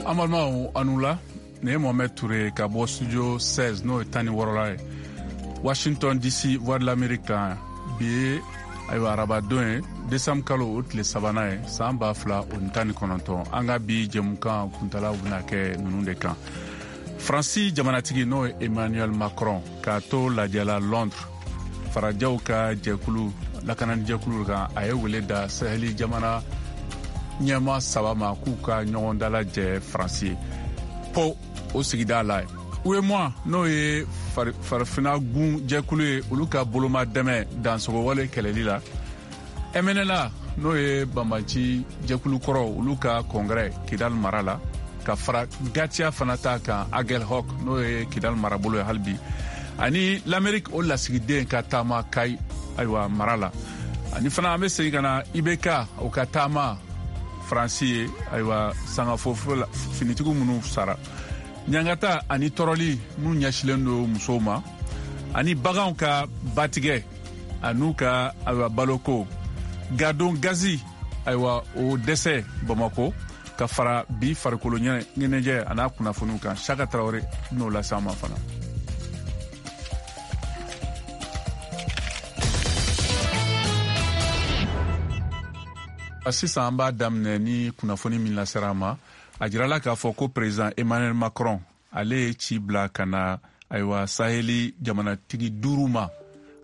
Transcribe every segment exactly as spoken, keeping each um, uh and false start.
An balimaw, aw ni wula. Nin ye Mohamed Touré ka bɔ studio seize, n'o ye tan ni wɔɔrɔla ye, Washington D C, Voix de l'Amérique kan. Bi ye, ayiwa, arabadon ye, décembre kalo o tile sabanan ye, san ba fila o ni tan ni kɔnɔntɔn. An ka bi jɛmukan kuntalaw bɛna kɛ ninnu de kan: Faransi jamanatigi, n'o ye Emmanuel Macron, k'a to lajɛla Londres farajɛw ka jɛkulu lakanani jɛkulu kan, a ye wele da Saheli jamana ɲɛma saba ma k'u ka ɲɔgɔn dalajɛ Faransi ye po o sigida la. UEMOA, n'o ye Farafina gun jɛkulu ye, olu ka boloma dɛmɛ dansogowale kɛlɛli la. M N L A, n'o ye banbanci jɛkulu kɔrɔ, olu ka congrès Kidal mara la, ka fara Gatiya fana ta kan, Aguelhok, n'o ye Kidal marabolo ye hali bi, ani l'Amérique o lasigiden ka taama Kayi, ayiwa, mara la. Ani fana an bɛ segin ka na I B K o ka taama Faransi ye, ayiwa, sangafo finitigiw minnu sara, ɲangata ani tɔɔrɔli minnu ɲɛsilen don musow ma, ani baganw ka batigɛ an'u ka, ayiwa, baloko gadon gazi, ayiwa, o dɛsɛ Bamako, ka fara bi farikolo ɲɛnajɛ a n'a kunnafoniw kan. Saka Tarawele n'o lase an ma fana. Sisan an b'a daminɛ ni kunnafoni min lasera an ma. A jirala k'a fɔ ko président Emmanuel Macron, ale ye ci bila ka na, ayiwa, Saheli jamanatigi duuru ma,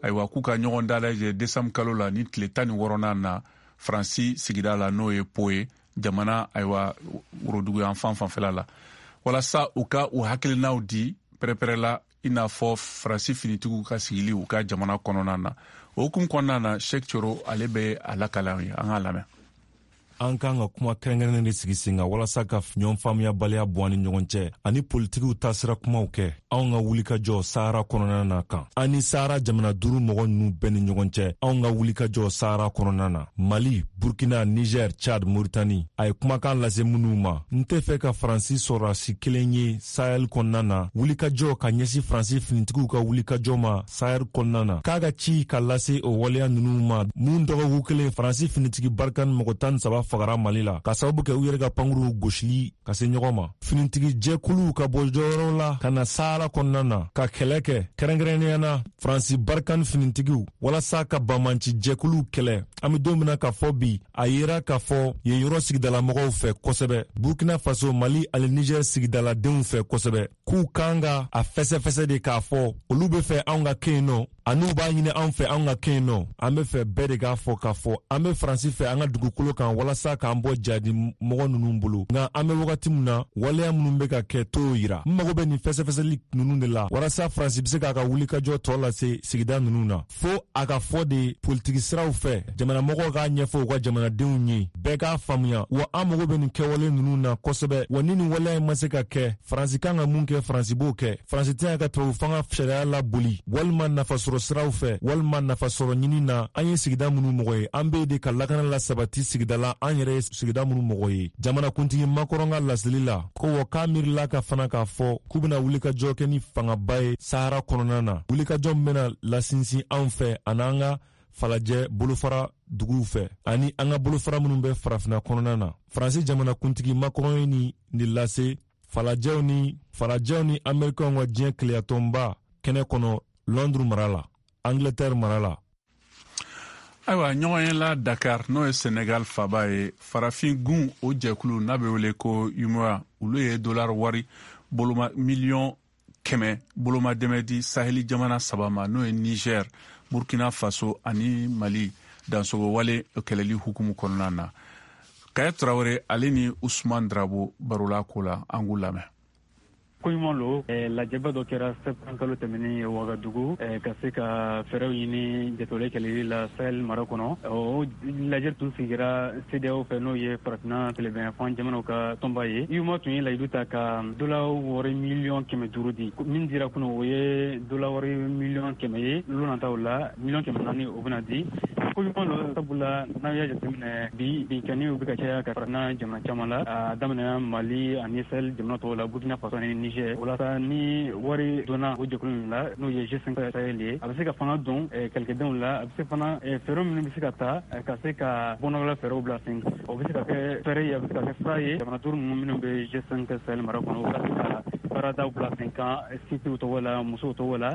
ayiwa, k'u ka ɲɔgɔn dalajɛ décembre kalo la ni tile tan ni wɔɔrɔnan na, Faransi sigida la, n'o ye Po ye, jamana, ayiwa, woroduguyan fan fanfɛla la, walasa u ka u hakilinaw di pɛrɛpɛrɛ i n'a fɔ Faransi finitigiw ka sigili u ka jamana kɔnɔna na. O hukumu kɔnɔna na, Sheikh Coro, ale bɛ a lakala ye, an k'a lamɛn. An kan ka kuma kɛrɛnkɛrɛnnen de sigi sen kan walasa ka ɲɔgɔn faamuyabaliya bɔ an ni ɲɔgɔn cɛ ani politikiw taasira kumaw kɛ anw ka wulikajɔ Sahara kɔnɔna na kan, an ni Sahara jamana duuru mɔgɔ ninnu bɛɛ ni ɲɔgɔn cɛ, anw ka wulikajɔ Sahara kɔnɔna na: Mali, Burkina, Niger, Chad, Moritani. A ye kumakan lase minnu ma: n tɛ fɛ ka Faransi sɔrɔdasi kelen ye Sahel kɔnɔna na. Wulikajɔ ka ɲɛsin Faransi finitigiw ka wulikajɔ ma Sahel kɔnɔna na, k'a ka ci ka lase o waleya ninnu ma mun dɔgɔkun kelen, Faransi finitigi Barkhane mɔgɔ tan ni saba fagara Mali la ka sababu kɛ u yɛrɛ ka pankuruw gosili ka se ɲɔgɔn ma. Finitigi jɛkuluw ka bɔ jɔyɔrɔ la ka na Sahara kɔnɔna na ka kɛlɛ kɛ, kɛrɛnkɛrɛnnenya na Faransi Barkhane finitigiw, walasa ka banbanci jɛkuluw kɛlɛ. An be don min na k'a fɔ bi, a yera k'a fɔ yen yɔrɔ sigidalamɔgɔw fɛ kosɛbɛ, Burkina Faso, Mali ani Niger sigidaladenw fɛ kosɛbɛ, k'u kan ka a fɛsɛfɛsɛ de k'a fɔ olu be fɛ anw ka kɛ yen nɔ, an'u b'a ɲini anw fɛ anw ka kɛ yen nɔ. An be fɛ bɛɛ de k'a fɔ k'a fɔ an be Faransi fɛ an ka dugukolo kan walasa k'an bɔ jadi mɔgɔ ninnu bolo. Nka an be wagati min na, waleya minnu be ka kɛ t'o yira. N mago bɛ nin fɛsɛfɛsɛli ninnu de la walasa Faransi be se k'a ka wulikajɔ tɔɔ lase sigida ninnu na. Fo a ka fɔ de politiki siraw fɛ, jamanamɔgɔw k'a ɲɛfɔ u ka jamanadenw ye, bɛɛ k'a faamuya wa. An mago bɛ nin kɛwale ninnu na kosɛbɛ wa. Ni nin waleya in ma se ka kɛ, Faransi kan ka mun kɛ, Faransi b'o kɛ. Faransi tɛna ka tubabu fanga sariya laboli walima nafasɔrɔ siraw fɛ walima nafasɔrɔ ɲini na. An ye sigida minnu mɔgɔ ye, an be de ka lakana la sabati sigida la, an yɛrɛ ye sigida minnu mɔgɔ ye. Jamanakuntigi Macron ka laseli la ko wa, k'a miirila ka fana k'a fɔ k'u bena wulikajɔ kɛ ni fangaba ye Sahara kɔnɔna na, wulikajɔ min bena lasinsin anw fɛ an'an ka falajɛ bolofara duguw fɛ ani an ka bolofara minnu bɛ Farafina kɔnɔna na. Faransi jamanakuntigi Macron ye ni nin lase falajɛw ni farajɛw ni Amerikɛnw ka diɲɛ keleyatɔnba kɛnɛ kɔnɔ, Londres mara la, Angleterre mara la. Ayiwa, ɲɔgɔn ye la Dakar, n'o ye Senegal faba ye, Farafin gun o jɛkulu n'a bɛ wele ko UEMOA, olu ye dollar wari boloma miliyɔn kɛmɛ boloma dɛmɛ di Saheli jamana saba ma, n'o ye Niger, Burkina Faso ani Mali, dansogo wale kɛlɛli hukumu kɔnɔna na. Kaya Tarawele, ale ni Usman Drabo barola ko la, an k'u lamɛn. Ko ɲuman lo. Lajɛba dɔ kɛra septembre kalo tɛmɛnen Wagadugu ka se ka fɛɛrɛw ɲini jatɔle kɛlɛli la Sahel mara kɔnɔ. O lajɛ tun sigira CEDEAO fɛ, n'o ye Farafinna tilebinyanfan jamanaw ka tɔnba ye. UEMOA tun ye layidu ta ka dola wari miliyɔn kɛmɛ duuru di. Min dira kunun, o ye dola wari miliyɔn kɛmɛ ye. Lon nataw la, miliyɔn kɛmɛ naani o bɛna di. Ko ɲuman don, sabula n'aw y'a jateminɛ bi, binkanniw bɛ ka caya ka fara jamana caman la, a daminɛna Mali ani Sahel jamana tɔw la, Burkina Faso ani Niger. O la sa, ni wari donna o jɛkulu ninnu la, n'o ye G cinq Sahel ye, a bɛ se ka fanga don kɛlɛkɛdenw la, a bɛ se fana fɛɛrɛ minnu bɛ se ka ta ka se ka bɔnɔgɔla fɛɛrɛw bila sen kan, o bɛ se ka kɛ fɛɛrɛ ye, a bɛ se ka kɛ sira ye jamana duuru ninnu minnu bɛ G cinq Sahel mara kɔnɔ, u ka se ka baaradaw bila sen kan sifinw tɔgɔ la, musow tɔgɔ la,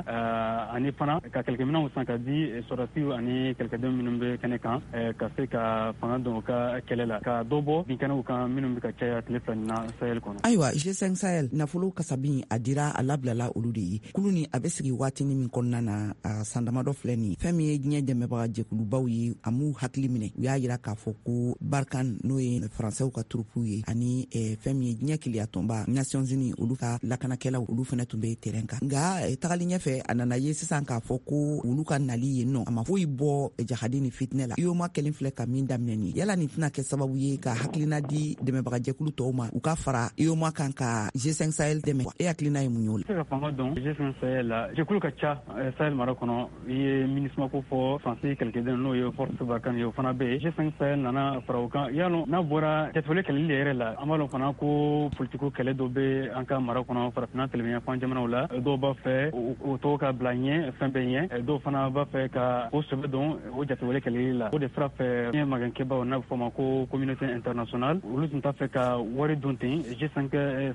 ani fana ka kɛlɛkɛminɛnw san ka di sɔrɔdasiw ani kɛlɛkɛdenw minnu bɛ kɛnɛ kan, ka se ka fanga don u ka kɛlɛ la, ka dɔ bɔ binkɛnɛw kan minnu bɛ ka caya tile fila nin na Sahel kɔnɔ. Ayiwa, G cinq Sahel nafolo kasabi a dira, a labilala olu de ye. Kulu ni a bɛ sigi waatini min kɔnɔna na, a san damadɔ filɛ nin, fɛn min ye diɲɛ dɛmɛbaga jɛkulubaw ye, a m'u hakili minɛ. U y'a yira k'a fɔ ko Barkhane, n'o ye Faransɛw ka turupuw ye, ani fɛn min ye diɲɛ keleyatɔnba Nations Unies, olu ka lakanakɛlaw, olu fɛnɛ tun bɛ terrain kan. Nka tagali ɲɛfɛ, a nana ye sisan k'a fɔ ko olu ka nali yen nɔ, a ma foyi bɔ jahadi ni fitinɛ la. UEMOA kelen filɛ ka min daminɛ nin, yala nin tɛna kɛ sababu ye ka hakilina di dɛmɛbagajɛkulu tɔw ma, u ka fara UEMOA kan ka G cinq Sahel dɛmɛ? E hakilina ye mun ye o la? Se ka fanga don G cinq Sahel la, jɛkulu ka ca Sahel mara kɔnɔ. I ye MINUSMA ko fɔ, Faransi kɛlɛkɛden n'o ye Force Barkhane ye, o fana bɛ yen. G cinq Sahel nana fara o kan. Yalɔ n'a bɔra jatewale kɛlɛli yɛrɛ la, an b'a dɔn fana ko politiko kɛlɛ dɔ bɛ an ka mara kɔnɔ, Farafinna tilebinyanfan jamanaw la. Dɔw b'a fɛ o tɔgɔ ka bila ɲɛ fɛn bɛɛ ɲɛ, dɔw fana b'a fɛ ka o sɛbɛ don o jatewale kɛlɛli la. O de sira fɛ, diɲɛ magɛnkɛbaw n'a bɛ fɔ o ma ko communauté internationale, olu tun t'a fɛ ka wari don ten G cinq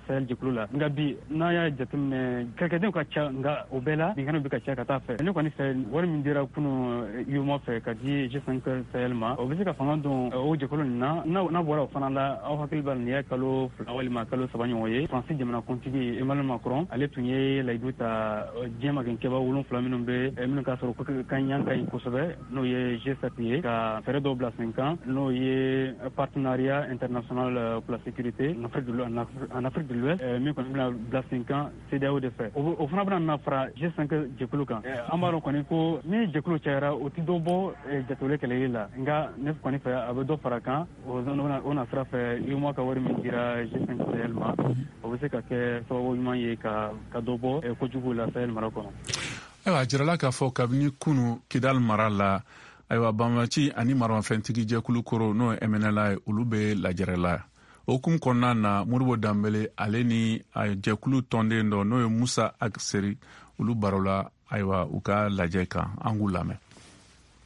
Sahel jɛkulu la. Nka bi, n'a y'a jateminɛ, kɛlɛkɛdenw ka ca, nka o bɛɛ la binkɛnɛw bɛ ka ca ka taa fɛ. Ne kɔni fɛ, wari min dira kunu UEMOA fɛ ka di G cinq Sahel ma, o bɛ se ka fanga don o jɛkulu nin na. N'a bɔra o fana la, aw hakili b'a la, nin ye kalo fila walima kalo saba ɲɔgɔn ye, Faransi jamana kuntigi Emmanuel Macron, ale tun ye layidu ta diɲɛ magɛnkɛba wolonfila minnu bɛ, minnu ka sɔrɔ ka ɲan ka ɲi kosɛbɛ, n'o ye G sept ye, ka fɛɛrɛ dɔw bila sen kan, n'o ye partenariat international pour la sécurité en Afrique de en Afrique de l'Ouest, min kɔni bɛna bila sen kan CEDEAO de fɛ. O fana bɛna na fara G cinq jɛkulu kan. An b'a dɔn kɔni ko ni jɛkulu cayara, o ti dɔ bɔ jatewale kɛlɛli la, nka ne kɔni fɛ, a bɛ dɔ fara kan. O na sira fɛ, UEMOA ka wari min dira G cinq Sahel ma, o bɛ se ka kɛ sababu ɲuman ye ka ka dɔ bɔ kojugu la Sahel mara kɔnɔ. Ayiwa, a jirala k'a fɔ kabini kunu Kidal mara la, ayiwa, banbaci ani maramafɛntigi jɛkulu koro, n'o ye M N L A ye, olu bɛ lajɛrɛ la. O hukumu kɔnɔna na, Modibo Danbele, ale ni jɛkulu tɔnden dɔ, n'o ye Musa Agseri, olu barola, ayiwa, u ka lajɛ kan. An k'u lamɛn.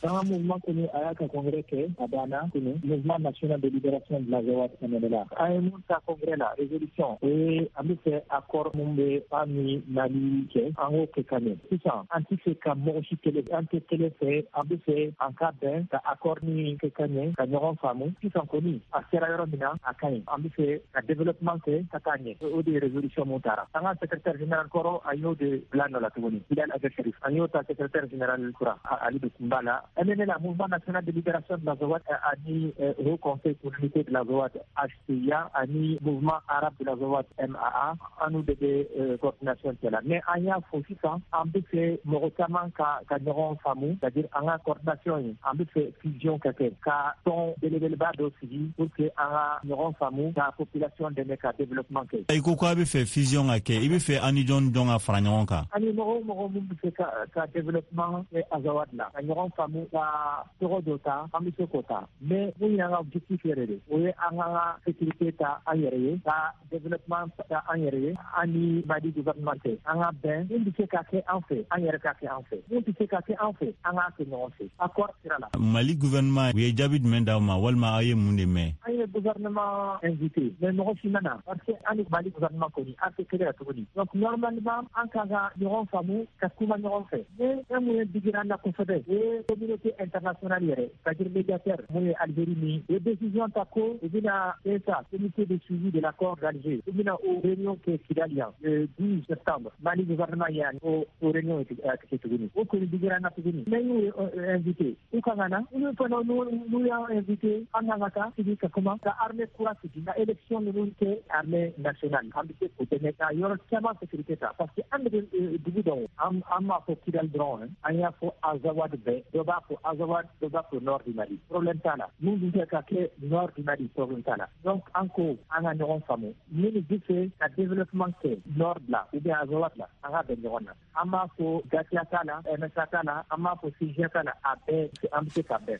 An ka mouvement kɔni, a y'a ka congrès kɛ, a banna kunu, Mouvement national de libération de l'Azawad, M N L A. An ye mun ta congrès la, résolution, o ye an bɛ fɛ accord mun bɛ an ni Mali cɛ, an k'o kɛ ka ɲɛ. Sisan an tɛ fɛ ka mɔgɔ si kɛlɛ, an tɛ kɛlɛ fɛ, an bɛ fɛ an ka bɛn ka accord ni kɛ ka ɲɛ, ka ɲɔgɔn faamu. Sisan kɔni, a sera yɔrɔ min na, a ka ɲi, an bɛ fɛ ka développement kɛ ka taa ɲɛ. O de ye résolution mun taara. An ka secrétaire général kɔrɔ, a y'o de bila nɔ la tuguni, Bilal Ag Acherif, an y'o ta secrétaire général kura, ale de tun b'a la. M N L A, Mouvement national de libération de l'Azawad, ani Haut Conseil pour l'unité de l'Azawad, H C I A, ani Mouvement arabe de l'Azawad, M A A, an n'u de bɛ coordination cɛ la. Mais an y'a fɔ sisan, an bɛ fɛ mɔgɔ caman ka ka ɲɔgɔn faamu, c'est à dire an ka coordination ye, an bɛ fɛ fusion ka kɛ, ka tɔn belebeleba dɔ sigi pour que an ka ɲɔgɔn faamu, ka population dɛmɛ ka développement kɛ. I ko k'a bɛ fɛ fusion ka kɛ, i bɛ fɛ an ni jɔn jɔn ka fara ɲɔgɔn kan? Ani mɔgɔ o mɔgɔ mun bɛ fɛ ka ka développement kɛ Azawad la, ka ɲɔgɔn faamu, ka tɔgɔ dɔ ta, an bɛ se k'o ta. Mais mun y'an ka objectif yɛrɛ de, o ye an ka sécurité ta an yɛrɛ ye, ka développement ta an yɛrɛ ye. An ni Mali gouvernement tɛ, an ka bɛn. Mun bɛ se ka kɛ an fɛ, an yɛrɛ ka kɛ an fɛ. Mun tɛ se ka kɛ an fɛ, an k'a kɛ ɲɔgɔn fɛ accord sira la. Mali gouvernement, u ye jaabi jumɛn d'aw ma, walima aw ye mun de mɛn? An ye gouvernement invité, mais mɔgɔ si ma na, parce que an ni Mali gouvernement kɔni, an tɛ kelen la tuguni. Donc normalement, an kan ka ɲɔgɔn faamu, ka kuma ɲɔgɔn fɛ. Mais fɛn mun ye digira an na kosɛbɛ, o ye communauté internationale yɛrɛ, c'est à dire médiateur mun ye Algérie ni u ye décision ta ko u bɛna C S A, comité de suivi de l'accord d'Alger, u bɛna o réunion kɛ Kidal yan le douze septembre. Mali gouvernement yan o o réunion kɛ tuguni, o kɔni digira an na tuguni. Mais n'u ye invité, u kan ka na. Olu fana, n'u y'an invité, an kan ka taa sigi ka kuma, ka armée kura sigi, ka élection ninnu kɛ, armée nationale, an bɛ se k'o dɛmɛ ka yɔrɔ caman sécurité ta, parce que an de bɛ dugu dɔn. An an m'a fɔ Kidal dɔrɔn, an y'a fɔ Azawad bɛɛ. Dɔ b'a b'a fɔ Azawad, dɔ b'a fɔ nord du Mali, problème t'a la. Mun bɛ fɛ ka kɛ nord du Mali, problème t'a la. Donc an ko an ka ɲɔgɔn faamu, minnu bɛ fɛ ka développement kɛ nord la ou bien Azawad la, an ka bɛn ɲɔgɔn na. An b'a fɔ GATIA t'a la, M S A t'a la, an b'a fɔ C G A t'a la, a bɛɛ an bɛ se ka bɛn.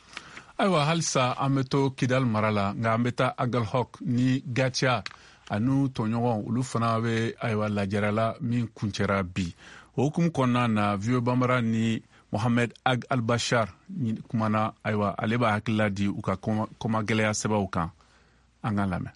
Ayiwa, halisa an bɛ to Kidal mara la, nka an bɛ taa Agalhok ni GATIA ani tɔɲɔgɔn olu fana bɛ, ayiwa, lajɛrɛ la min kuncɛra bi. O hukumu kɔnɔna na, V O A Banbara ni Mohamed Ag Albashar kumana. Ayiwa, ale b'a hakilila di u ka kɔmagɛlɛya sɛbɛnw kan. An ka lamɛn.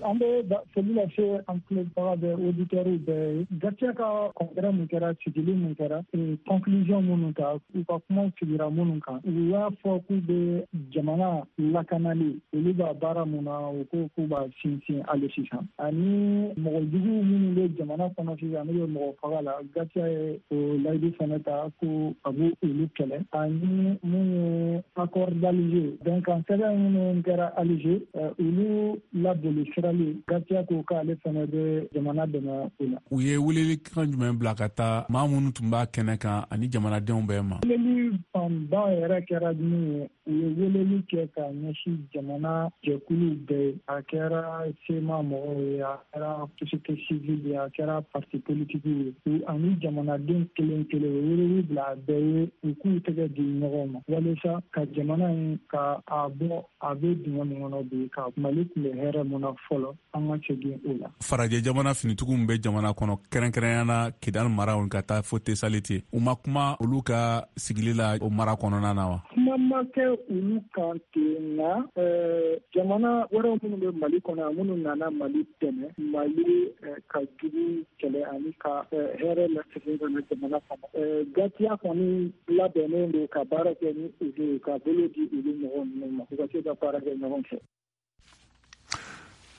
An bɛ foli lase an tulobaga bɛɛ, auditeurs bɛɛ ye. GATIA ka congrès mun kɛra, sigili mun kɛra, conclusion minnu ta, u ka kumaw sigira minnu kan, u y'a fɔ k'u bɛ jamana lakanali, olu b'a baara mun na, u ko k'u b'a sinsin hali sisan, ani mɔgɔ jugu minnu bɛ jamana kɔnɔ sisan, n'u bɛ mɔgɔ faga la, GATIA ye o layidu fana ta ko a b'u olu kɛlɛ, ani mun ye accord d'Alger, bɛnkan sɛbɛn minnu kɛra Alger, olu laboli sirali, GATIA ko k'ale fana bɛ jamana dɛmɛ o la. U ye welelikan jumɛn bila ka taa maa minnu tun b'a kɛnɛ kan ani jamanadenw bɛɛ ma? Weleli fanba yɛrɛ kɛra min ye, u ye weleli kɛ ka ɲɛsin jamana jɛkuluw bɛɛ ye. A kɛra C M A mɔgɔw ye, a kɛra société civile ye, a kɛra parti politique ye, ani jamanaden kelen kelen, u ye weleli bila a bɛɛ ye, u k'u tɛgɛ di ɲɔgɔn ma walasa ka jamana in ka a bɔ a bɛ dingɛ min kɔnɔ bi, ka Mali tun bɛ hɛrɛ mun na fɔlɔ, an ka segin o la. Farajɛ jamana finitigiw bɛ jamana kɔnɔ, kɛrɛnkɛrɛnya na Kidal mara ka taa fo Tesaliti, u ma kuma olu ka sigili la o mara kɔnɔna na wa? Kuma ma kɛ olu kan ten, nka jamana wɛrɛw minnu bɛ Mali kɔnɔ, minnu nana Mali dɛmɛ, Mali ka jugu kɛlɛ ani ka hɛrɛ lasegin ka na jamana kɔnɔ, GATIA kɔni labɛnnen don ka baara kɛ ni olu ye, ka bolo di olu mɔgɔ ninnu ma, u ka se ka baara kɛ ɲɔgɔn fɛ.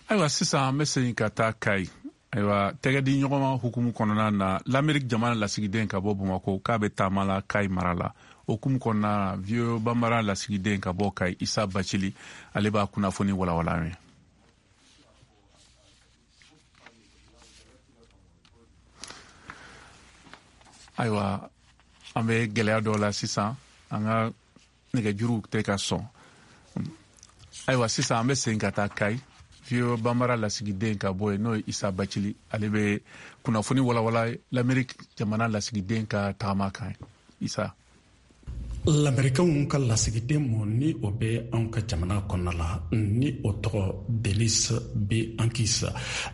Ayiwa, sisan an bɛ segin ka taa Kayi. Ayiwa, tɛgɛ di ɲɔgɔnma hukumu kɔnɔna na, Lamɛrik jamana lasigiden ka bɔ Bamako k'a bɛ taama la Kayi mara la. O hukumu kɔnɔna na, V O A Banbara lasigiden ka bɔ Kayi, Isa Bacili, ale b'a kunnafoni walawala an ye. Ayiwa, an bɛ gɛlɛya dɔ la sisan, an ka nɛgɛjuruw tɛ ka sɔn. Ayiwa, sisan an bɛ segin ka taa Kayi. V O A Banbara lasigiden ka bɔ yen, n'o ye Isa Bacili, ale bɛ kunnafoni walawala Lamɛrik jamana lasigiden ka tagama kan. Isa. Lamɛrikɛnw ka lasigiden mu ni o bɛ anw ka jamana kɔnɔna la, ni o tɔgɔ Denis B Ankis,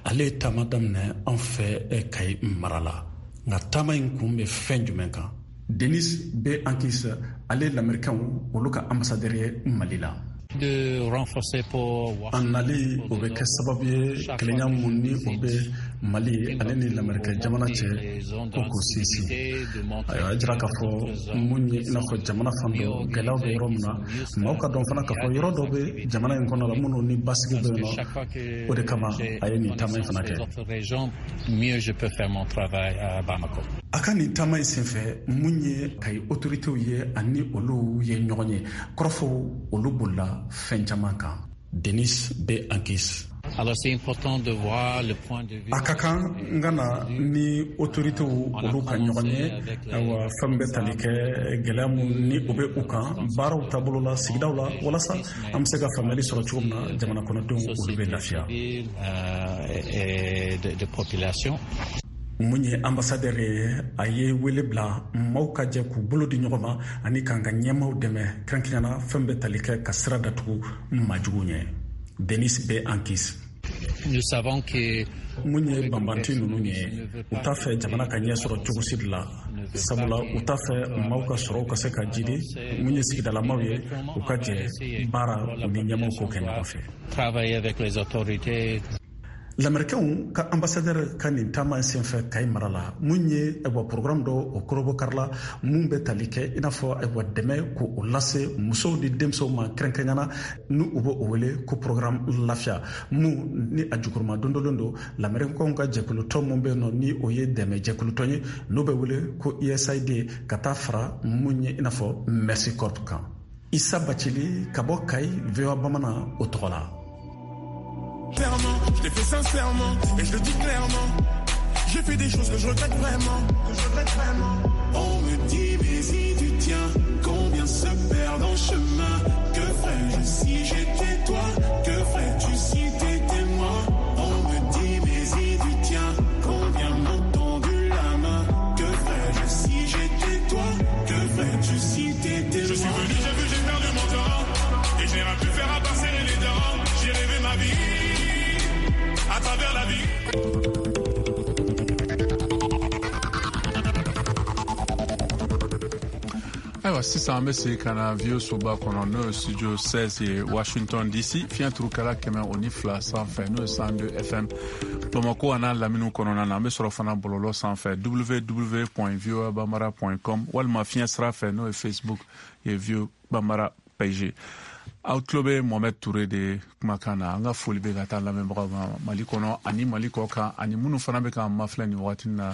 ale ye taama daminɛ anw fɛ Kayi mara la. Nka taama in kun bɛ fɛn jumɛn kan? Denis B Ankis, ale ye lamɛrikɛnw olu ka ambassadeur ye Mali la. De renforcer pour A nali o bɛ kɛ sababu ye, kelenya mun ni o bɛ Mali ale ni Lamɛrikɛ jamana cɛ, ko k'o sinsin. Ayiwa, a jira k'a fɔ mun ye, i n'a fɔ jamana fan dɔ gɛlɛyaw bɛ yɔrɔ min na, maaw ka dɔn fana k'a fɔ yɔrɔ dɔ bɛ jamana in kɔnɔ la minnu ni basigi bɛ yen nɔ. O de kama a ye nin taama in fana kɛ. Mieux je peux faire mon travail à Bamako. A ka nin taama in senfɛ, mun ye Kayi autoritéw ye ani olu ye ɲɔgɔn ye, kɔrɔfɔw olu bolila fɛn caman kan. Denis B Ankis. Alors c'est important de voir le point de vue. A ka kan n ka na ni autoritéw olu ka ɲɔgɔn ye. Ayiwa, fɛn bɛ tali kɛ gɛlɛya mun ni o bɛ u kan baaraw taabolo la sigidaw la, walasa an bɛ se ka faamuyali sɔrɔ cogo min na, jamana kɔnɔdenw olu bɛ lafiya. Et de, de population. Mun ye ambassadeur ye, a ye wele bila maaw ka jɛ k'u bolo di ɲɔgɔn ma ani k'an ka ɲɛmaw dɛmɛ, kɛrɛnkɛrɛnnenya fɛn bɛ tali kɛ ka sira datugu maajugu ɲɛ. Denis B Ankis. Nous savons que Mun ye banbanti ninnu ye, u t'a fɛ jamana ka ɲɛ sɔrɔ cogo si de la, sabula u t'a fɛ maaw ka sɔrɔw ka se ka jidi. Mun ye sigidalamaw ye, u ka jɛ baara u ni ɲɛmaw k'o kɛ ɲɔgɔn fɛ. Travailler avec les autorités. Lamɛrikɛnw ka ambassadeur ka nin taama in senfɛ Kayi mara la, mun ye, ayiwa, programme dɔ o kɔrɔbɔkari la mun bɛ tali kɛ i n'a fɔ, ayiwa, dɛmɛ k'o lase musow ni denmisɛnw ma, kɛrɛnkɛrɛnyana ni u bɛ o wele ko programme Lafiya, mun ni a jukɔrɔma dondolen don lamɛrikɛnw ka jɛkulutɔn mun bɛ yen nɔ, ni o ye dɛmɛ jɛkulutɔn ye, n'o bɛ wele ko U S A I D, ka taa fara mun ye i n'a fɔ Mercy Corps kan. Isa Bacili ka bɔ Kayi, V O A Bamanan o tɔgɔ la. Je l'ai fait sincèrement et je le dis clairement. J'ai fait des choses que je regrette vraiment, que je regrette vraiment. On me dit, mais si tu tiens, combien perdre en chemin. Que ferais-je si j'étais toi? Que ferais-tu si t'étais moi? On me dit mais y du tien, combien m'ont tendu la main? Que ferais-je si j'étais toi? Que ferais-tu si t'étais moi? Je suis venu, j'ai vu, j'ai perdu mon temps, et je n'ai rien pu faire à part serrer les dents. J'ai rêvé ma vie à travers la vie. Ayiwa, sisan an bɛ segin ka na V O A soba kɔnɔ, n'o ye studio seize ye Washington D C, fiɲɛ turukala kɛmɛ o ni fila sanfɛ, n'o ye cent deux F M Bamakɔ a n'a laminiw kɔnɔna na. An bɛ sɔrɔ fana bɔlɔlɔ sanfɛ w w w point voa bambara point com walima fiɲɛ sira fɛ, n'o ye Facebook ye V O A Bambara page. Aw tulo bɛ Mohamed Touré de kumakan na. An ka foli bɛ ka taa lamɛnbagaw ma Mali kɔnɔ ani Mali kɔ kan, ani minnu fana bɛ k'an mafilɛ nin wagati na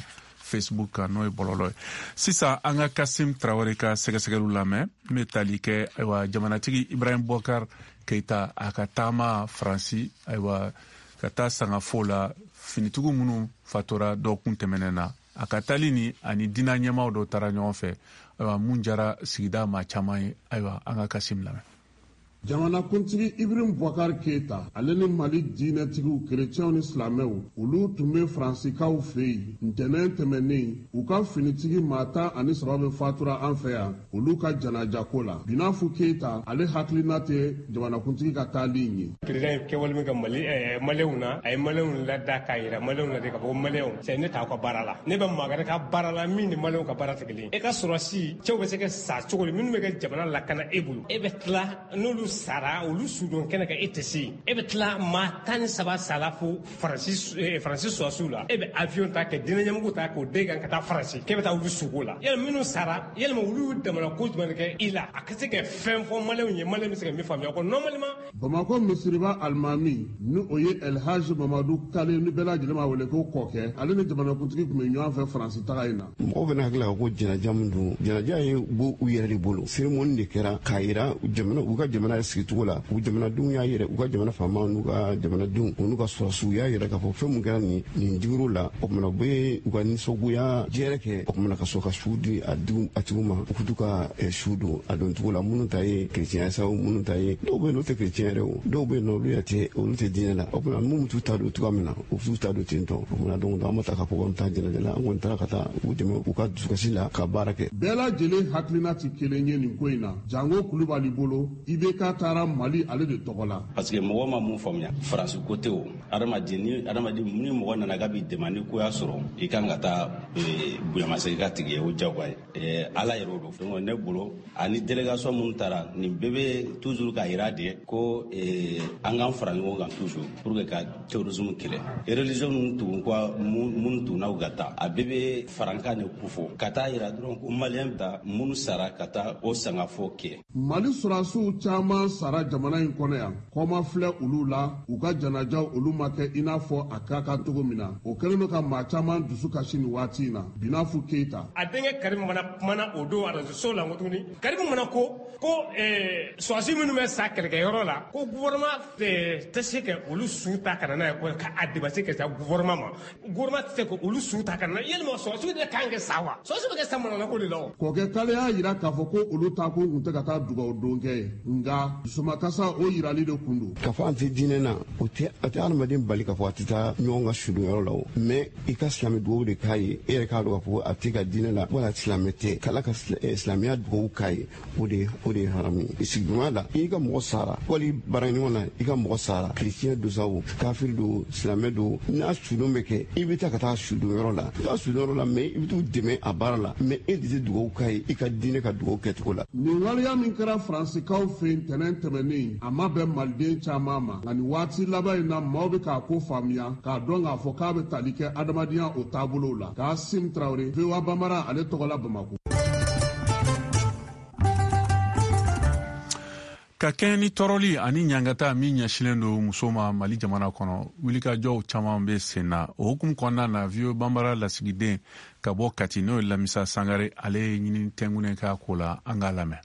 Facebook kan, n'o ye bɔlɔlɔ ye. Sisan an ka Kasim Tarawele ka sɛgɛsɛgɛliw lamɛn n bɛ tali kɛ ayiwa jamanatigi Ibrahim Boubacar Keita a ka taama Faransi, ayiwa ka taa sangafo la finitigiw minnu fatura dɔgɔkun tɛmɛnen na. A ka taali ni ani diinɛ ɲɛmaaw dɔw taara ɲɔgɔn fɛ, ayiwa mun jara sigida maa caman ye. Ayiwa an ka Kasim lamɛn. Jamanakuntigi Ibrahim Boubacar Keita ale ni Mali diinɛtigiw kerecɛnw ni silamɛw olu tun bɛ Faransikaw fɛ yen ntɛnɛn tɛmɛnen. U ka finitigi maa tan ani saba bɛ fatura an fɛ yan olu ka janajako la. Binafu Keita ale hakilina tɛ jamanakuntigi ka taali in ye. Président ye kɛwale min kɛ Mali ɛɛ Maliyɛnw na, a ye Maliyɛnw lada k'a yira Maliyɛnw na de k'a fɔ ko Maliyɛnw c'est ne t'aw ka baara la, ne bɛ maa wɛrɛ ka baara la min ni Maliyɛnw ka baara tɛ kelen ye. E ka sɔrɔsi cɛw bɛ se ka sa cogo di minnu bɛ kɛ jamana lakana e bolo, e bɛ tila n'olu sara olu sudon kɛnɛ kan e tɛ se, e bɛ tila maa tan ni saba sala fo Faransi Faransi sɔrɔsiw la, e bɛ avion ta ka diinɛ ɲɛmɔgɔw ta k'o den kan ka taa Faransi k'e bɛ taa olu suko la. Yalima minnu sara, yalima olu damana ko jumɛn kɛ i la a ka se ka fɛn fɔ Maliyɛnw ye, Maliyɛn bɛ se ka min faamuya ko normalement. Bamakɔ misiriba alimami ni o ye Elhaji Mamadu Kale ni bɛɛ lajɛlen b'a wele ko Kɔkɛ, ale ni jamanakuntigi tun bɛ ɲɔgɔn fɛ Faransi taga in na. Mɔgɔw bɛna hakili la ko jɛnɛja min don, jɛnɛja ye bɔ u yɛrɛ de bolo. Cérémonie de kɛra k'a yira jamana u ka jamana sigicogo la, u jamanadenw y'a yɛrɛ, u ka jamana faamaw n'u ka jamanadenw u n'u ka sɔrɔsiw y'a yɛrɛ k'a fɔ fɛn mun kɛra nin nin digir'u la. O kumana u bɛ u ka nisɔngoya jɛrɛ kɛ, o kumana ka sɔrɔ ka su di a diw a tigiw ma, u k'u ka su don a don cogo la. Minnu ta ye kerecɛnya sa o, minnu ta ye dɔw bɛ yen n'o tɛ kerecɛn yɛrɛ o, dɔw bɛ yen nɔ olu yɛrɛ tɛ olu tɛ diinɛ la. O kumana minnu t'u ta don cogoya min na, u t'u ta don ten tɔ. O kumana donc an ma ta k'a fɔ k'an bɛ taa jɛnɛja la, an kɔni taara ka taa u dɛmɛ u ka dusukasi la ka baara kɛ. Bɛɛ lajɛlen hakilina tɛ kelen ye nin ko in na. Jango Kulubali bolo, I B K taara Mali ale de tɔgɔ la. Parce que mɔgɔ ma mun faamuya Faransi ko tɛ o, adamaden ni adamaden ni mɔgɔ nana k'a b'i dɛmɛ ni ko y'a sɔrɔ i kan ka taa bonyamasegin ka tigi ye, o diyagoya ye, Ala yɛrɛ o don. Donc ne bolo ani délégation minnu taara nin bɛɛ bɛ toujours k'a yira de ko an k'an fara ɲɔgɔn kan toujours pour que ka terrorisme kɛlɛ. Religion ninnu tugun ko minnu tuguna u ka taa, a bɛɛ bɛ farankan de kofɔ ka taa yira dɔrɔn ko Maliyɛn bɛ taa minnu sara ka taa o sangafo kɛ. Mali sɔrɔsiw caman sara jamana in kɔnɔ yan, kɔma filɛ olu la, u ka janajaw olu ma kɛ i n'a fɔ a ka kan cogo min na. O kɛlen don ka maa caman dusu kasi nin waati in na. Binafu Keita a denkɛ Karimu mana kumana o don arajoso la ko tuguni Karimu mana ko ko sɔrɔsi minnu bɛ sa kɛlɛkɛyɔrɔ la ko gouvernement tɛ se ka olu su ta ka na n'a ye, ko a dépassé ka taa gouvernement ma, gouvernement tɛ se ka olu su ta ka na, yalima sɔrɔsiw de kan kɛ sa wa, sɔrɔsiw bɛ kɛ sa manana ko de la o. Kɔkɛ Kale y'a yira k'a fɔ ko olu ta ko kun tɛ ka taa dugawu don kɛ ye, nka dusumakasa o yirali de kun don. K'a fɔ an tɛ diinɛ na, o tɛ a tɛ adamaden bali k'a fɔ a tɛ taa ɲɔgɔn ka sudonyɔrɔ la o, mais i ka silamɛ dugawu de k'a ye, e yɛrɛ k'a dɔn k'a fɔ a tɛ ka diinɛ la wala silamɛ tɛ, k'Ala ka silamɛya dugawu k'a ye, o de o de ye haramu ye. Sigiɲɔgɔnya la, i ka mɔgɔ sara wali baaraɲɔgɔn na, i ka mɔgɔ sara, kerecɛn don sa o, kafiri don, silamɛ don, n'a sudon bɛ kɛ, i bɛ taa ka taa sudonyɔrɔ la, i b'a sudonyɔrɔ la, mais i bɛ t'u dɛmɛ a baara la, mais e de tɛ dugawu k'a ye i ka diinɛ ka dugawu kɛcogo la. Nin waleya min kɛra Faransikaw fɛ yen ntɛnɛn tɛmɛnen, a ma bɛn Maliden caman ma, nka nin waati laban in na maaw bɛ k'a ko faamuya k'a dɔn k'a fɔ k'a bɛ tali kɛ adamadenya o taabolow la. Kasim Tarawele, V O A Bambara ale tɔgɔ la Bamakɔ. Ka kɛɲɛ ni tɔɔrɔli ani ɲangata min ɲɛsinnen don muso ma Mali jamana kɔnɔ, wulikajɔw caman bɛ sen na. O hukumu kɔnɔna na, V O A Bambara lasigiden ka bɔ Kati, n'o ye Lamisa Sangare, ale ye ɲini tɛnkunnen k'a ko la, an k'a lamɛn.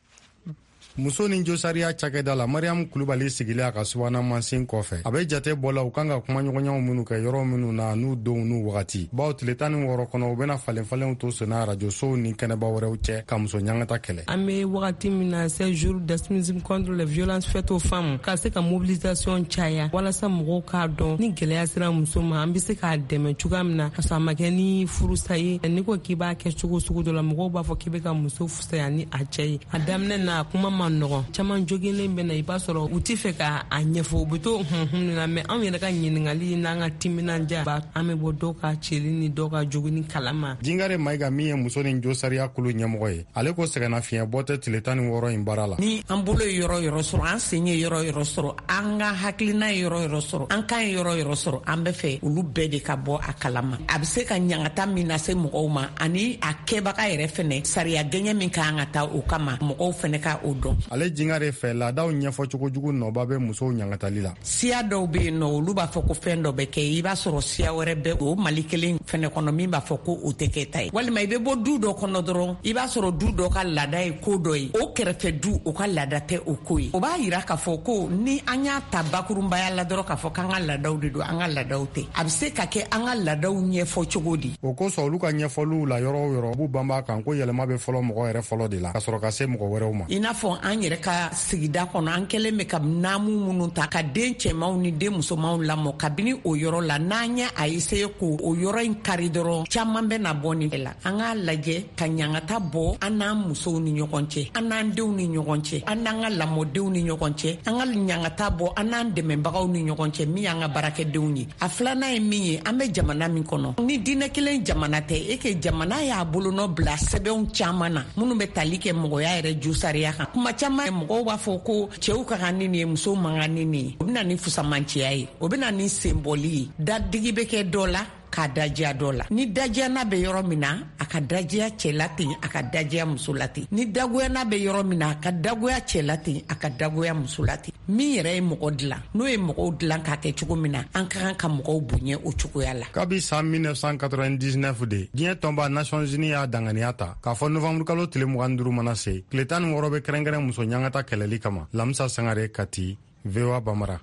Muso ni josariya cakɛda la, Mariam Kulubali sigilen a ka subahana mansin kɔfɛ, a bɛ jate bɔ la u kan ka kumaɲɔgɔnyaw minnu kɛ yɔrɔ minnu na, n'u donw n'u wagati, bawo tile tan ni wɔɔrɔ kɔnɔ, u bɛna falen falenw to senna arajosow ni kɛnɛba wɛrɛw cɛ ka muso ɲangata kɛlɛ. An bɛ wagati min na, seize jours d'activisme contre les violences faites aux femmes, ka se ka mobilisation caya walasa mɔgɔw k'a dɔn ni gɛlɛya sera muso ma, an bɛ se k'a dɛmɛ cogoya min na, ka sɔrɔ a ma kɛ ni furusa ye. N'i ko k'i b'a kɛ cogo sugu dɔ la, mɔgɔw b'a fɔ k'i bɛ ka muso fisaya ni a cɛ ye. A daminɛ na, a kuma ma nɔgɔn, caman joginnen bɛ na, i b'a sɔrɔ u tɛ fɛ k'a ɲɛfɔ, u bɛ to hunhun na. Mɛ anw yɛrɛ ka ɲininkali n'an ka timinandiya b'a, an bɛ bɔ dɔw ka cɛli ni dɔw ka jogini kalama. Jingare Mayiga, min ye muso ni josariya kulu ɲɛmɔgɔ ye, ale ko sɛgɛnnafiɲɛ bɔ tɛ tile tan ni wɔɔrɔ in baara la. Ni an bolo ye yɔrɔ yɔrɔ sɔrɔ, an sen ye yɔrɔ yɔrɔ sɔrɔ, an ka hakilina ye yɔrɔ yɔrɔ sɔrɔ, an kan ye yɔrɔ yɔrɔ sɔrɔ, an bɛ fɛ olu bɛɛ de ka bɔ a kalama. A bɛ se ka ɲangata min lase mɔgɔw ma, ani a kɛbaga yɛrɛ fɛnɛ, sariya gɛɲɛ min ka kan ka taa o kama, mɔgɔw fɛnɛ ka o dɔn. Ale Jingare fɛ, laadaw ɲɛfɔcogo jugu nɔba bɛ musow ɲangatali la. Siya dɔw bɛ yen nɔ, olu b'a fɔ ko fɛn dɔ bɛ kɛ, i b'a sɔrɔ siya wɛrɛ bɛ o Mali kelen fɛnɛ kɔnɔ min b'a fɔ ko o tɛ kɛ ta ye. Walima i bɛ bɔ du dɔ kɔnɔ dɔrɔn, i b'a sɔrɔ du dɔ ka laada ye ko dɔ ye, o kɛrɛfɛ du o ka laada tɛ o ko ye. O b'a yira k'a fɔ ko ni an y'a ta bakurunbaya la dɔrɔn k'a fɔ k'an ka laadaw de don, an ka laadaw tɛ. A bɛ se ka kɛ an ka laadaw ɲɛfɔ cogo di? O kosɔn, olu ka ɲɛfɔliw la, yɔrɔ o yɔrɔ, u b'u banba kan ko yɛlɛma bɛ fɔlɔ mɔgɔ yɛrɛ fɔlɔ de la, ka sɔrɔ ka se mɔgɔ wɛrɛw ma. I n'a fɔ an yɛrɛ ka sigida kɔnɔ, an kɛlen bɛ ka naamu minnu ta ka den cɛmanw ni den musomanw lamɔ, kabini o yɔrɔ la, n'an ye a essayer k'o o yɔrɔ in kari dɔrɔn, caman bɛ na bɔ nin la. An k'a lajɛ ka ɲangata bɔ an n'an musow ni ɲɔgɔn cɛ, an n'an denw ni ɲɔgɔn cɛ, an n'an ka lamɔdenw ni ɲɔgɔn cɛ, an ka ɲangata bɔ an n'an dɛmɛbagaw ni ɲɔgɔn cɛ, min y'an ka baarakɛdenw ye. A filanan ye min ye, an bɛ jamana min kɔnɔ, ni diinɛ kelen jamana tɛ, e ke jamana y'a bolonɔ bila sɛbɛnw caman na minnu bɛ tali kɛ mɔgɔya yɛrɛ josariya kan. Kuma caman mɔgɔw b'a fɔ ko cɛw ka kan ni nin ye, musow man kan ni nin ye. O bɛ na ni fusamanciya ye, o bɛ na ni senbɔli ye. Dadigi bɛ kɛ dɔ la k'a dajiya dɔ la. Ni dajiyana bɛ yɔrɔ min na, a ka dajiya cɛ la ten, a ka dajiya muso la ten. Ni dagoyana bɛ yɔrɔ min na, a ka dagoya cɛ la ten, a ka dagoya muso la ten. Min yɛrɛ ye mɔgɔ dilan, n'o ye mɔgɔw dilan k'a kɛ cogo min na, an ka kan ka mɔgɔw bonya o cogoya la. Kabi san mille neuf cent quatre-vingt-dix-neuf de, diɲɛ tɔnba Nations Unies y'a danganiya ta k'a fɔ novembre kalo tile mugan duuru mana se, tile tan ni wɔɔrɔ bɛ kɛrɛnkɛrɛn muso ɲangata kɛlɛli kama. Lamisa Sangare, Kati, V O A Bamara.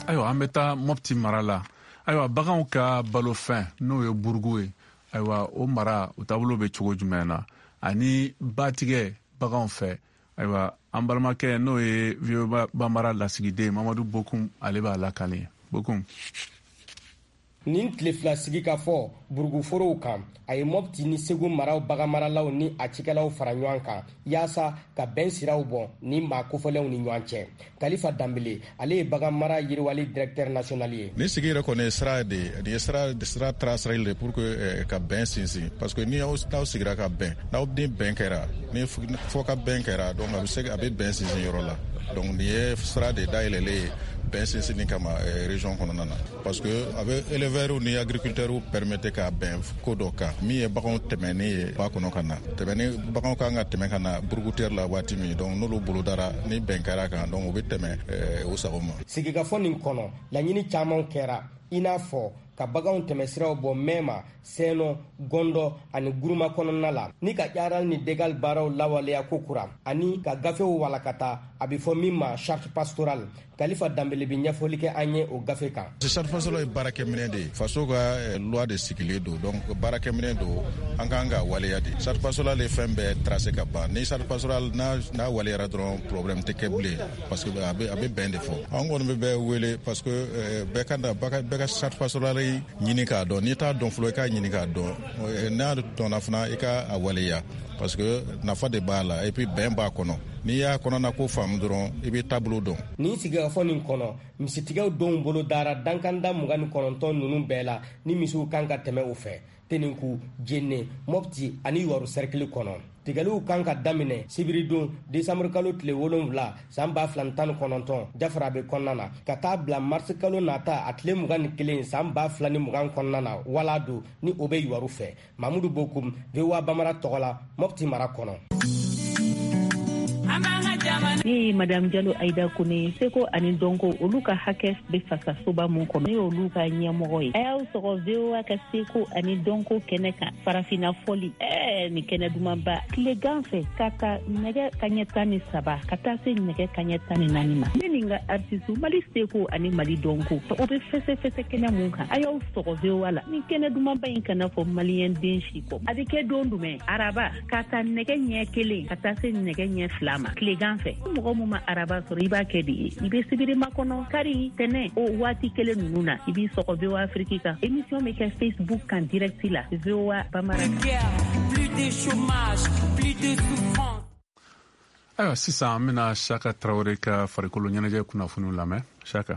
Ayiwa, an bɛ taa Mopti mara la. Ayiwa, baganw ka balofɛn, n'o ye burugu ye, ayiwa, o mara o taabolo bɛ cogo jumɛn na, ani batigɛ baganw fɛ? Ayiwa, an balimakɛ, n'o ye V O A Bambara lasigiden Mamadu Bokum, ale b'a lakale. Bokum. Nin tile fila sigi ka fɔ buruguforow kan, a ye Mopti ni Segu maraw baganmaralaw ni a cikɛlaw fara ɲɔgɔn kan yaasa ka bɛn siraw bɔ ni maa kofɔlenw ni ɲɔgɔn cɛ. Kalifa Danbele, ale ye baganmara yiriwali directeur national ye. Nin sigi yɛrɛ kɔni ye sira de ye, nin ye sira sira traceli de pour que ka bɛn sinsin, parce que ni aw n'aw sigira ka bɛn, n'aw ni bɛn kɛra, ni fɔ ka bɛn kɛra, donc a bɛ se a bɛ bɛn sinsin yɔrɔ la. Donc nin ye sira de dayɛlɛlen ye bɛn sinsinni kama région kɔnɔna na, parce que a bɛ éleveurs ni agriculteurs permettre ka bɛn ko dɔ kan, min ye baganw tɛmɛni ye ba kɔnɔ ka na, tɛmɛni baganw kan ka tɛmɛ ka na burugutɛri la waati min, donc n'olu bolodara ni bɛn kɛra kan, donc u bɛ tɛmɛ u sago ma. Sigikafɔ nin kɔnɔ, laɲini caman kɛra, i n'a fɔ ka baganw tɛmɛsiraw bɔ Mɛma, Sɛnɔ, Gɔndɔ ani Guruma kɔnɔna la, ni ka ƴaral ni degal baaraw lawaleya ko kura, ani ka gafew walakata, a bɛ fɔ min ma charte pastorale. Kalifa Danbele bɛ ɲɛfɔli kɛ an ye o gafe kan. Charte pastorale ye baarakɛminɛn de ye, faso ka loi de sigilen don, donc baarakɛminɛn don, an kan ka waleya de. Charte pastorale ye fɛn bɛɛ tracé ka ban. Ni charte pastorale n'a n'a waleyara dɔrɔn, problème tɛ kɛ bilen, parce que a bɛ a bɛ bɛn de fɔ. An kɔni bɛ bɛɛ wele, parce que bɛɛ ka na bɛɛ ka charte pastorale ɲini k'a dɔn. N'i t'a dɔn fɔlɔ, i k'a ɲini k'a dɔn. N'a dɔnna fana, i ka a waleya, parce que nafa de b'a la, et puis bɛn b'a kɔnɔ. N'i y'a kɔnɔna ko faamu dɔrɔn, i bɛ taabolo dɔn. Nin sigikafɔ nin kɔnɔ, misitigɛw donw bolo dara dankanda mugan ni kɔnɔntɔn ninnu bɛɛ la, ni misiw kan ka tɛmɛ o fɛ Tenenku, Jene, Mopti ani Yuwaru sɛrikili kɔnɔ. Tigɛliw kan ka daminɛ sibiridon desanburu kalo tile wolonwula san ba fila tan ni kɔnɔntɔn Jafarabe kɔnɔna na, ka taa bila marisi kalo nata a tile mugan ni kelen san ba fila ni mugan kɔnɔna na, wala don ni o bɛ Yuwaru fɛ. Mamudu Bokum, V O A Bamara tɔgɔ la, Mopti mara kɔnɔ. An b'an ka Ne ye Madame Jalo Aida Kone, seko ani dɔnko olu ka hakɛ bɛ fasasoba mun kɔnɔ, ne y'olu ka ɲɛmɔgɔ ye. A y'aw sɔgɔ V O A ka seko ani dɔnko kɛnɛ kan, farafinna fɔli, ɛɛ nin kɛnɛ dumanba, tilegan fɛ ka ta nɛgɛ kaɲɛ tan ni saba ka taa se nɛgɛ kaɲɛ tan ni naani ma. Ne ni n ka artiste Mali seko ani Mali dɔnko, o bɛ fɛsɛfɛsɛ kɛnɛ mun kan, a y'aw sɔgɔ V O A la. Nin kɛnɛ dumanba in kana fɔ maliyɛn den si kɔ. A bɛ kɛ don jumɛn? Araba ka taa nɛgɛ ɲɛ kelen ka taa se nɛgɛ ɲɛ fila ma tilegan fɛ. Mɔgɔ mun ma araba sɔrɔ, i b'a kɛ de ye, i bɛ sibiri makɔnɔ, kari, tɛnɛ, o waati kelen ninnu na, i b'i sɔgɔ V O A Afrique kan. Émission bɛ kɛ Facebook kan direct la, V O A Bambara. Ayiwa, sisan an bɛna Saka Tarawele ka farikolo ɲɛnajɛ kunnafoniw lamɛn. Saka.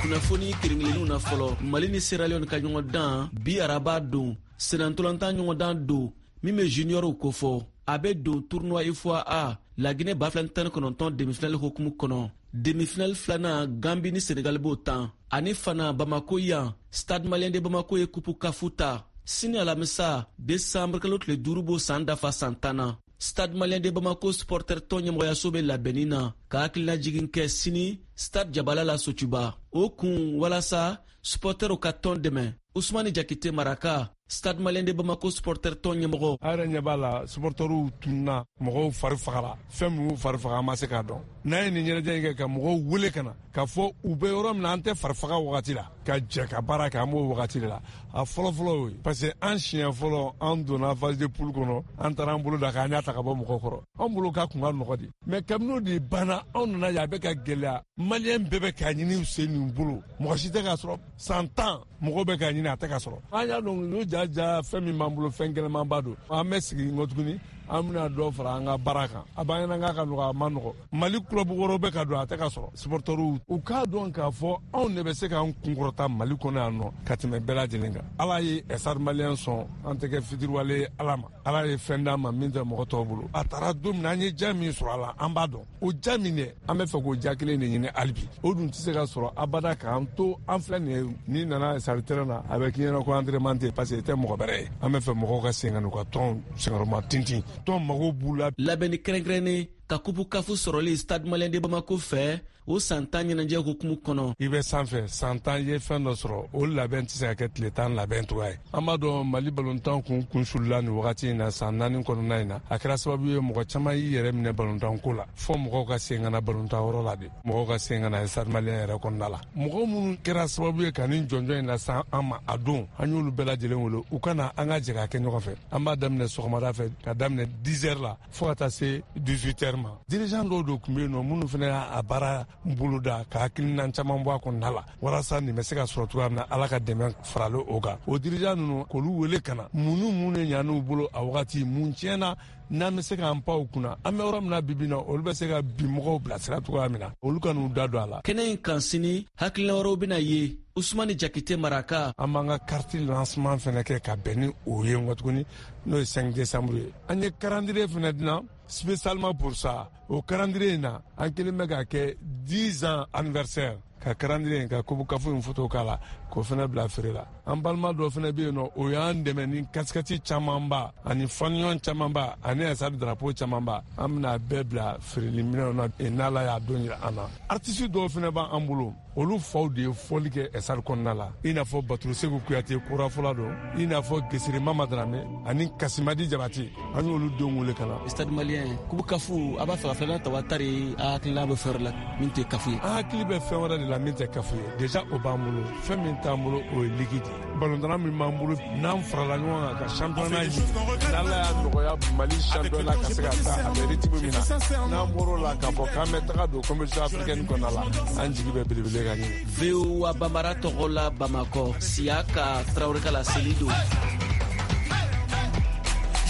Kunnafoni kelen-kelenninw na fɔlɔ, Mali ni Sierra Leone ka ɲɔgɔn dan bi araba don, senantolantan ɲɔgɔn dan don min bɛ juniorw kofɔ. A bɛ don tournoi U F O A Laginɛ ba fila ni tan ni kɔnɔntɔn demi-finale hokumu kɔnɔ. Demi-finale filanan, Gambi ni Senegal b'o tan. Ani fana Bamako yan, Stade Malien de Bamako ye kupu kafu ta. Sini alamisa, décembre kalo tile duuru b'o san dafa san tan na. Stade Malien de Bamako supporter tɔn ɲɛmɔgɔyaso bɛ labɛnni na ka hakilinajigin kɛ sini Stade Jabala la Sotuba. O kun walasa supporterw ka tɔn dɛmɛ. Usumani Jakite Maraka, Stade Malien de Bamako supporter tɔn ɲɛmɔgɔ. A yɛrɛ ɲɛ b'a la, supporterw tununa, mɔgɔw fari fagara, fɛn min y'u fari faga an ma se k'a dɔn. N'an ye nin ɲɛnajɛ in kɛ ka mɔgɔw wele ka na k'a fɔ u bɛ yɔrɔ min na, an tɛ fari faga wagati la, ka jɛ ka baara kɛ, an b'o wagati de la. A fɔlɔ-fɔlɔ y'o ye, parce que an siɲɛ fɔlɔ an donna phase de poule kɔnɔ, an taara an bolo da k'an y'a ta ka bɔ mɔgɔw kɔrɔ. An bolo k'a kun ka nɔgɔ de, mais kabini o de banna, anw nana ye a bɛ ka gɛlɛya. Maliyɛn bɛɛ bɛ k'a ɲini u sen n'u bolo, mɔgɔ si tɛ k'a sɔrɔ. San tan mɔgɔw bɛ k'a ɲini, a tɛ ka sɔrɔ. An y'a dɔn n'o ja ja fɛn min b'an bolo, fɛn gɛlɛnmanba don. An bɛ sigi nkɔ tuguni, an bɛna dɔ fara an ka baara kan. A b'an ɲɛna k'a ka nɔgɔ, a ma nɔgɔ. Mali club wɛrɛw bɛ ka don, a tɛ ka sɔrɔ. Supporterw u k'a dɔn k'a fɔ anw de bɛ se k'an kunkɔrɔta Mali kɔnɔ yan nɔ ka tɛmɛ bɛɛ lajɛlen kan. Ala ye Stade Malien sɔn, an tɛ kɛ fitiriwale ye Ala ma. Ala ye fɛn d'an ma min tɛ mɔgɔ tɔw bolo. A taara don min na, an ye ja min sɔrɔ a la, an b'a dɔn. O ja min dɛ, an bɛ fɛ k'o ja kelen de ɲini hali bi. O dun tɛ se ka sɔrɔ abada k'an to an filɛ nin ye. N'i nana stade terrain na, a bɛ k'i ɲɛna ko entraînement tɛ, parce que i tɛ mɔgɔ bɛrɛ ye. An bɛ fɛ mɔgɔw ka segin ka n'u ka tɔn senkɔrɔma tintin. Tɔn mago b'u la. Labɛnni kɛrɛnkɛrɛnnen ka kupu kafu sɔrɔli Stade Malien de Bamako fɛ o san tan ɲɛnajɛ hukumu kɔnɔ. I bɛ sanfɛ san tan ye fɛn dɔ sɔrɔ, o labɛn tɛ se ka kɛ tile tan labɛn cogoya ye. An b'a dɔn Mali balontan kun kunsulila nin wagati in na, san naani kɔnɔna in na, a kɛra sababu ye mɔgɔ caman y'i yɛrɛ minɛ balontan ko la. Fɔ mɔgɔw ka sen ka na balontan yɔrɔ la de, mɔgɔw ka sen ka na Stade Malien yɛrɛ kɔnɔna la. Mɔgɔ minnu kɛra sababu ye ka nin jɔnjɔn in lase an ma a don, an y'olu bɛɛ lajɛlen wele u ka na an ka jɛ k'a kɛ ɲɔgɔn fɛ. An b'a daminɛ sɔgɔmada fɛ ka daminɛ dix heures la fo ka taa se dix-huit heures ma. Dirigeant dɔw de tun bɛ yen nɔ minnu fana y'a baara boloda ka hakilina caman bɔ a kɔnɔna la walasa nin bɛ se ka sɔrɔ cogoya min na, Ala ka dɛmɛ faralen o kan. O dirigeant ninnu k'olu wele ka na, mun ni mun de ɲan'u bolo a wagati, mun tiɲɛna n'an bɛ se k'an pan u kunna. An bɛ yɔrɔ min na bi bi in na, olu bɛ se ka bi mɔgɔw bilasira cogoya min na, olu ka n'u da don a la. Kɛnɛ in kan sini, hakilina wɛrɛw bɛna ye. Usumani Jakite Maraka. An b'an ka carte lancement fana kɛ ka bɛn ni o ye nkɔ tuguni, n'o ye cinq décembre ye. An ye calendrier fana dilan spécialement pour ça. O calendrier in na, an kelen bɛ k'a kɛ dix ans anniversaire, ka calendrier in ka coupe kafu in photo k'a la k'o fana bila feere la. An balima dɔ fana bɛ yen nɔ, o y'an dɛmɛ ni casquette camanba ani fanion camanba ani stade drapeau camanba. An bɛna bɛɛ bila feereli minɛnw na n'Ala y'a don jira an na. Artiste dɔw fana b'an bolo, olu faw de ye fɔli kɛ stade kɔnɔna la, i n'a fɔ Baturu Segu Kuyate korafɔla don, i n'a fɔ Gesere Mama Darame ani Kasimadi Jabate. An y'olu denw wele ka na. Stade Malien kupu kafu, a b'a fɛ ka filanan ta wa tari, a hakilina bɛ fɛn wɛrɛ la min tɛ kafu ye. An hakili bɛ fɛn wɛrɛ de la min tɛ kafu ye. Déjà o b'an bolo, fɛn min t'an bolo o ye ligue de ye. Balontanna min b'an bolo, n'an farala ɲɔgɔn kan ka championnat ɲini, n'Ala y'a nɔgɔya Mali championnat ka se ka taa a bɛ rythme min na, n'an bɔr'o la k'a fɔ k'an bɛ taga don compétition africaine kɔnɔna la, an jigi bɛ belebele ka ɲini. V O A Bambara tɔgɔ la Bamakɔ, Siyaka Tarawele ka laseli don.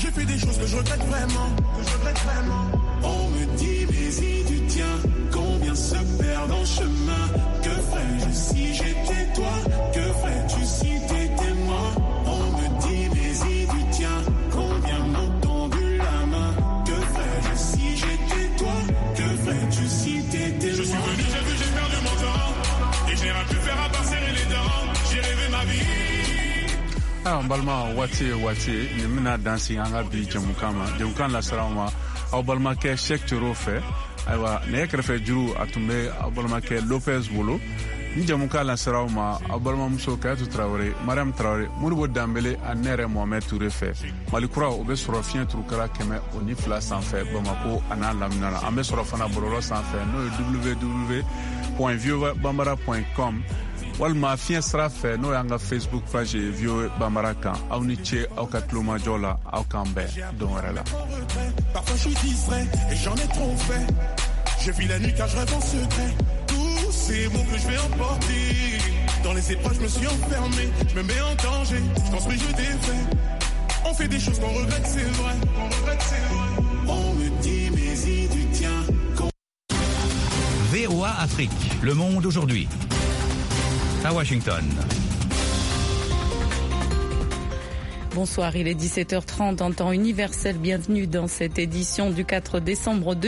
J'ai fait des choses que je regrette vraiment, que je regrette vraiment. On me dit mais si tu tiens, combien se perdent en chemin. Que ferais-je si j'étais toi? Que ferais-tu si t'étais moi? On me dit mais si tu tiens, combien m'ont tendu la main. Que ferais-je si j'étais toi? Que ferais-tu si t'étais moi? Je suis venu, j'ai vu, j'ai perdu mon temps. Et je n'ai rien pu faire à part serrer les dents. J'ai rêvé ma vie. Ayiwa, n balima, waati ye waati ye nin bɛna dan sigi an ka bi jɛmukan ma. Jɛmukan lasera aw ma aw balimakɛ Cheick Toro fɛ. Ayiwa, nɛgɛ kɛrɛfɛ juru, a tun bɛ aw balimakɛ Lopez bolo. Ni jɛmukan lasera aw ma aw balimamuso Kayatu Tarawele, Mariam Tarawele, Modibo Danbele ani ne yɛrɛ Mohamɛd Ture fɛ. Mali Kura, o bɛ sɔrɔ fiɲɛ turukala kɛmɛ o ni fila sanfɛ Bamako a n'a lamina la. An bɛ sɔrɔ fana bɔlɔlɔ sanfɛ, n'o ye W W W point voa bambara point com, walima fiɲɛ sira fɛ, n'o y'an ka Facebook page ye V O A Bambara kan. Aw ni ce aw ka tulomajɔ la. Aw k'an bɛn don wɛrɛ la. Parfois je suis distrait et j'en ai trop fait. Je vis la nuit car je rêve en secret. Tous ces mots que je vais emporter. Dans les épreuves, je me suis enfermé. Je me mets en danger. Je construis, je défais. On fait des choses qu'on regrette, c'est vrai. Qu'on regrette, c'est vrai. On me dit, mais y du tien. V O A Afrique, le monde aujourd'hui. À Washington. Bonsoir, il est dix-sept heures trente en temps universel. Bienvenue dans cette édition du quatre décembre.